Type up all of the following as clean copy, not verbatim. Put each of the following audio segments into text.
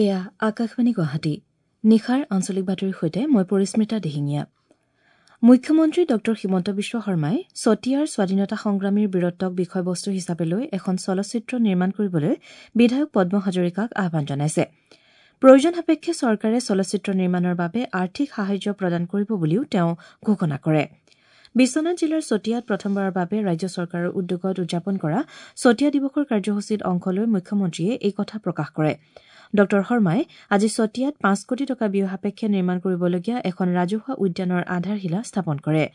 এয়া আকাশবাণী গুৱাহাটী। নিশাৰ আঞ্চলিক বাতৰিৰ সৈতে মই পৰিস্মিতা দিহিঙীয়া। মুখ্যমন্ত্ৰী ডঃ হিমন্ত বিশ্ব শৰ্মাই চতিয়াৰ স্বাধীনতা সংগ্ৰামীৰ বীৰত্বক বিষয়বস্তু হিচাপে লৈ এখন চলচ্চিত্ৰ নিৰ্মাণ কৰিবলৈ বিধায়ক পদ্ম হাজৰিকাক আহ্বান জনাইছে। প্ৰয়োজন সাপেক্ষে চৰকাৰে চলচ্চিত্ৰ নিৰ্মাণৰ বাবে আৰ্থিক সাহায্য প্ৰদান কৰিব বুলিও তেওঁ ঘোষণা কৰে। বিশ্বনাথ জিলাৰ চতিয়াত প্ৰথমবাৰৰ বাবে ৰাজ্য চৰকাৰৰ উদ্যোগত উদযাপন কৰা চতিয়া দিৱসৰ কাৰ্যসূচীত অংশ লৈ মুখ্যমন্ত্ৰীয়ে এই কথা প্ৰকাশ কৰে। ডঃ শৰ্মাই আজি চতিয়াত ৫ কোটি টকা ব্যয় সাপেক্ষে নিৰ্মাণ কৰিবলগীয়া এখন ৰাজহুৱা উদ্যানৰ আধাৰশিলা স্থাপন কৰে।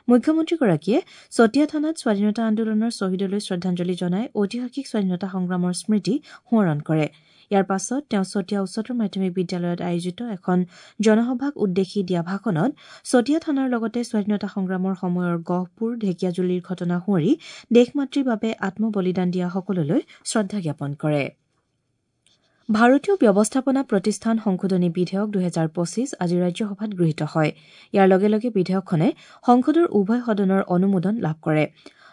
মুখ্যমন্ত্ৰীগৰাকীয়ে চতিয়া থানাত স্বাধীনতা আন্দোলনৰ শ্বহীদলৈ শ্ৰদ্ধাঞ্জলি জনাই ঐতিহাসিক স্বাধীনতা সংগ্ৰামৰ স্মৃতি সোঁৱৰণ কৰে। ইয়াৰ পাছত তেওঁ চতিয়া উচ্চতৰ মাধ্যমিক বিদ্যালয়ত আয়োজিত এখন জনসভাক উদ্দেশ্যি দিয়া ভাষণত চতিয়া থানাৰ লগতে স্বাধীনতা সংগ্ৰামৰ সময়ৰ গহপুৰ ঢেকীয়াজুলিৰ ঘটনা সুঁৱৰি দেশ মাতৃৰ বাবে আত্মবলিদান দিয়া সকললৈ শ্ৰদ্ধা জ্ঞাপন কৰে। ভাৰতীয় ব্যৱস্থাপনা প্ৰতিষ্ঠান সংশোধনী বিধেয়ক ২০২৫ আজি ৰাজ্যসভাত গৃহীত হয়। ইয়াৰ লগে লগে বিধেয়কখনে সংসদৰ উভয় সদনৰ অনুমোদন লাভ কৰে।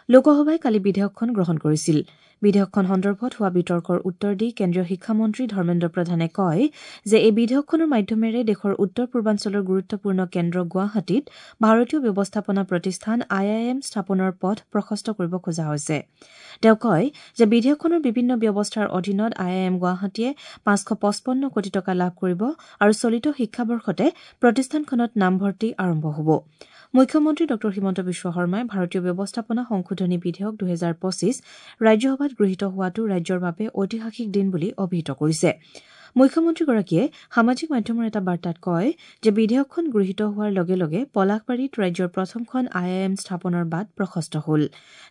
লোকসভাই কালি বিধেয়কখন গ্ৰহণ কৰিছিল। বিধেয়কখন সন্দৰ্ভত হোৱা বিতৰ্কৰ উত্তৰ দি কেন্দ্ৰীয় শিক্ষামন্ত্ৰী ধৰ্মেন্দ্ৰ প্ৰধানে কয় যে এই বিধেয়কখনৰ মাধ্যমেৰে দেশৰ উত্তৰ পূৰ্বাঞ্চলৰ গুৰুত্বপূৰ্ণ কেন্দ্ৰ গুৱাহাটীত ভাৰতীয় ব্যৱস্থাপনা প্ৰতিষ্ঠান আই I am স্থাপনৰ পথ প্ৰশস্ত কৰিব খোজা হৈছে। তেওঁ কয় যে বিধেয়কখনৰ বিভিন্ন ব্যৱস্থাৰ অধীনত আই I am গুৱাহাটীয়ে ৫৫৫ কোটি টকা লাভ কৰিব আৰু চলিত শিক্ষাবৰ্ষতে প্ৰতিষ্ঠানখনত নামভৰ্তি আৰম্ভ হ'ব। মুখ্যমন্ত্ৰী ডঃ হিমন্ত বিশ্ব শৰ্মাই ভাৰতীয় ব্যৱস্থাপনা সংশোধনী বিধেয়ক ২০২৫ ৰাজ্যসভাত গৃহীত হোৱাটো ৰাজ্যৰ বাবে ঐতিহাসিক দিন বুলি অভিহিত কৰিছে। মুখ্যমন্ত্ৰীগৰাকীয়ে সামাজিক মাধ্যমৰ এটা বাৰ্তাত কয় যে বিধেয়কখন গৃহীত হোৱাৰ লগে লগে পলাশবাৰীত ৰাজ্যৰ প্ৰথমখন আই I am স্থাপনৰ বাট প্ৰশস্ত হ'ল।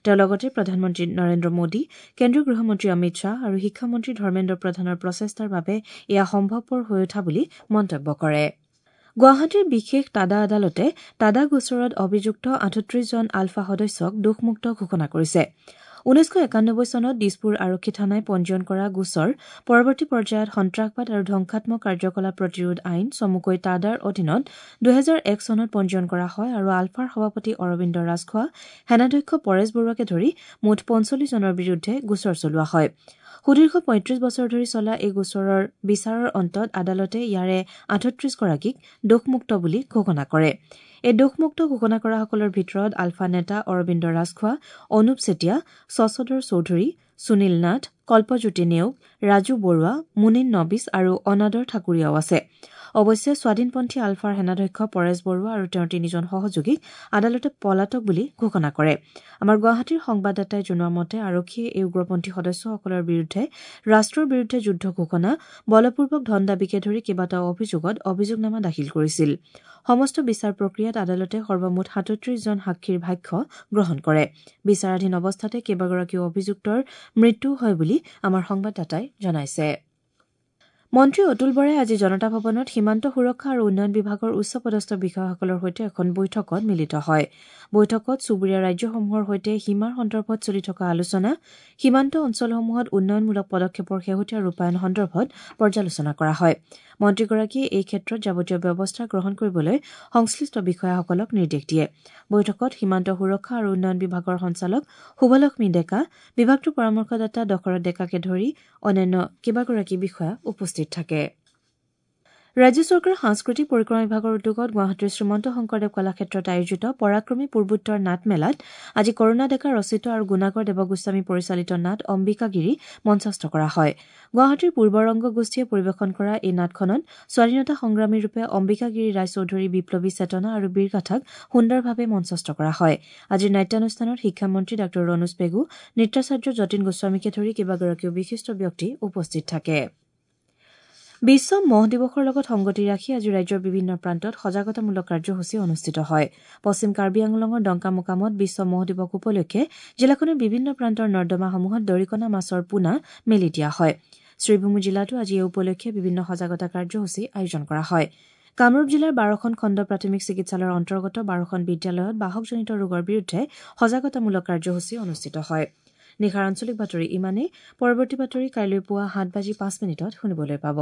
তেওঁ লগতে প্ৰধানমন্ত্ৰী নৰেন্দ্ৰ মোদী, কেন্দ্ৰীয় গৃহমন্ত্ৰী অমিত শ্বাহ আৰু শিক্ষামন্ত্ৰী ধৰ্মেন্দ্ৰ প্ৰধানৰ প্ৰচেষ্টাৰ বাবে এয়া সম্ভৱপৰ হৈ উঠা বুলি মন্তব্য কৰে। গুৱাহাটীৰ বিশেষ টাডা আদালতে টাডা গোচৰত অভিযুক্ত ৩৮ জন আলফা সদস্যক দোষমুক্ত ঘোষণা কৰিছে। ১৯৯১ চনত দিছপুৰ আৰক্ষী থানাই পঞ্জীয়ন কৰা গোচৰ পৰৱৰ্তী পৰ্যায়ত সন্ত্ৰাসবাদ আৰু ধ্বংসাত্মক কাৰ্যকলাপ প্ৰতিৰোধ আইন চমুকৈ টাডাৰ অধীনত ২০০১ চনত পঞ্জীয়ন কৰা হয় আৰু আলফাৰ সভাপতি অৰবিন্দ ৰাজখোৱা, সেনাধ্যক্ষ পৰেশ বৰুৱাকে ধৰি মুঠ ৪৫ জনৰ বিৰুদ্ধে গোচৰ চলোৱা হয়। সুদীৰ্ঘ ৩৫ বছৰ ধৰি চলা এই গোচৰৰ বিচাৰৰ অন্তত আদালতে ইয়াৰে ৩৮ গৰাকীক দোষমুক্ত বুলি ঘোষণা কৰে। এই দোষমুক্ত ঘোষণা কৰাসকলৰ ভিতৰত আলফা নেতা অৰবিন্দ ৰাজখোৱা, অনুপ চেতিয়া, শশধৰ চৌধুৰী, সুনীল নাথ, কল্পজ্যোতি নেওগ, ৰাজু বৰুৱা, মুনীন নবিছ আৰু অনাদৰ ঠাকুৰীয়াও আছে। অৱশ্যে স্বাধীনপন্থী আলফাৰ সেনাধ্যক্ষ পৰেশ বৰুৱা আৰু তেওঁৰ তিনিজন সহযোগীক আদালতে পলাতক বুলি ঘোষণা কৰে। আমাৰ গুৱাহাটীৰ সংবাদদাতাই জনোৱা মতে আৰক্ষীয়ে এই উগ্ৰপন্থী সদস্যসকলৰ বিৰুদ্ধে ৰাষ্ট্ৰৰ বিৰুদ্ধে যুদ্ধ ঘোষণা, বলপূৰ্বক ধন দাবীকে ধৰি কেইবাটাও অভিযোগত অভিযোগনামা দাখিল কৰিছিল। সমস্ত বিচাৰ প্ৰক্ৰিয়াত আদালতে সৰ্বমুঠ ৩৭ জন সাক্ষীৰ ভাষ্য গ্ৰহণ কৰে। বিচাৰাধীন অৱস্থাতে কেইবাগৰাকীও অভিযুক্তৰ মৃত্যু হয় বুলি আমাৰ সংবাদদাতাই জনাইছে। মন্ত্ৰী অতুল বৰাই আজি জনতা ভৱনত সীমান্ত সুৰক্ষা আৰু উন্নয়ন বিভাগৰ উচ্চপদস্থ বিষয়াসকলৰ সৈতে এখন বৈঠকত মিলিত হয়। বৈঠকত চুবুৰীয়া ৰাজ্যসমূহৰ সৈতে সীমাৰ সন্দৰ্ভত চলি থকা আলোচনা, সীমান্ত অঞ্চলসমূহত উন্নয়নমূলক পদক্ষেপৰ শেহতীয়া ৰূপায়ণ সন্দৰ্ভত পৰ্যালোচনা কৰা হয়। মন্ত্ৰীগৰাকীয়ে এই ক্ষেত্ৰত যাৱতীয় ব্যৱস্থা গ্ৰহণ কৰিবলৈ সংশ্লিষ্ট বিষয়াসকলক নিৰ্দেশ দিয়ে। বৈঠকত সীমান্ত সুৰক্ষা আৰু উন্নয়ন বিভাগৰ সঞ্চালক শুভলক্ষ্মী ডেকা, বিভাগটোৰ পৰামৰ্শদাতা দশৰথ ডেকাকে ধৰি অন্যান্য কেইবাগৰাকী বিষয়া উপস্থিত থাকে। ৰাজ্য চৰকাৰৰ সাংস্কৃতিক পৰিক্ৰমা বিভাগৰ উদ্যোগত গুৱাহাটীৰ শ্ৰীমন্ত শংকৰদেৱ কলাক্ষেত্ৰত আয়োজিত পৰাক্ৰমী পূৰ্বোত্তৰ নাট মেলাত আজি কৰুণা ডেকা ৰচিত আৰু গুণাকৰ দেৱগোস্বামী পৰিচালিত নাট অম্বিকাগিৰি মঞ্চস্থ কৰা হয়। গুৱাহাটীৰ পূৰ্বৰংগ গোষ্ঠীয়ে পৰিৱেশন কৰা এই নাটখনত স্বাধীনতা সংগ্ৰামীৰূপে অম্বিকাগিৰি ৰায়চৌধুৰীৰ বিপ্লৱী চেতনা আৰু বীৰগাথাক সুন্দৰভাৱে মঞ্চস্থ কৰা হয়। আজিৰ নাট্যানুষ্ঠানত শিক্ষামন্ত্ৰী ডাঃ ৰণোজ পেগু, নৃত্যাচাৰ্য যতীন গোস্বামীকে ধৰি কেইবাগৰাকীও বিশিষ্ট ব্যক্তি উপস্থিত থাকে। বিশ্ব মহ দিৱসৰ লগত সংগতি ৰাখি আজি ৰাজ্যৰ বিভিন্ন প্ৰান্তত সজাগতামূলক কাৰ্যসূচী অনুষ্ঠিত হয়। পশ্চিম কাৰ্বি আংলঙৰ ডংকামোকামত বিশ্ব মহ দিৱস উপলক্ষে জিলাখনৰ বিভিন্ন প্ৰান্তৰ নৰ্দমাসমূহত দৰিকণা মাছৰ পোনা মেলি দিয়া হয়। শ্ৰীভূমি জিলাতো আজি এই উপলক্ষে বিভিন্ন সজাগতা কাৰ্যসূচী আয়োজন কৰা হয়। কামৰূপ জিলাৰ ১২খন খণ্ড প্ৰাথমিক চিকিৎসালয়ৰ অন্তৰ্গত ১২খন বিদ্যালয়ত বাহকজনিত ৰোগৰ বিৰুদ্ধে সজাগতামূলক কাৰ্যসূচী অনুষ্ঠিত হয়। নিশাৰ আঞ্চলিক বাতৰি ইমানেই। পৰৱৰ্তী বাতৰি কাইলৈ পুৱা ৭:০৫ শুনিবলৈ পাব।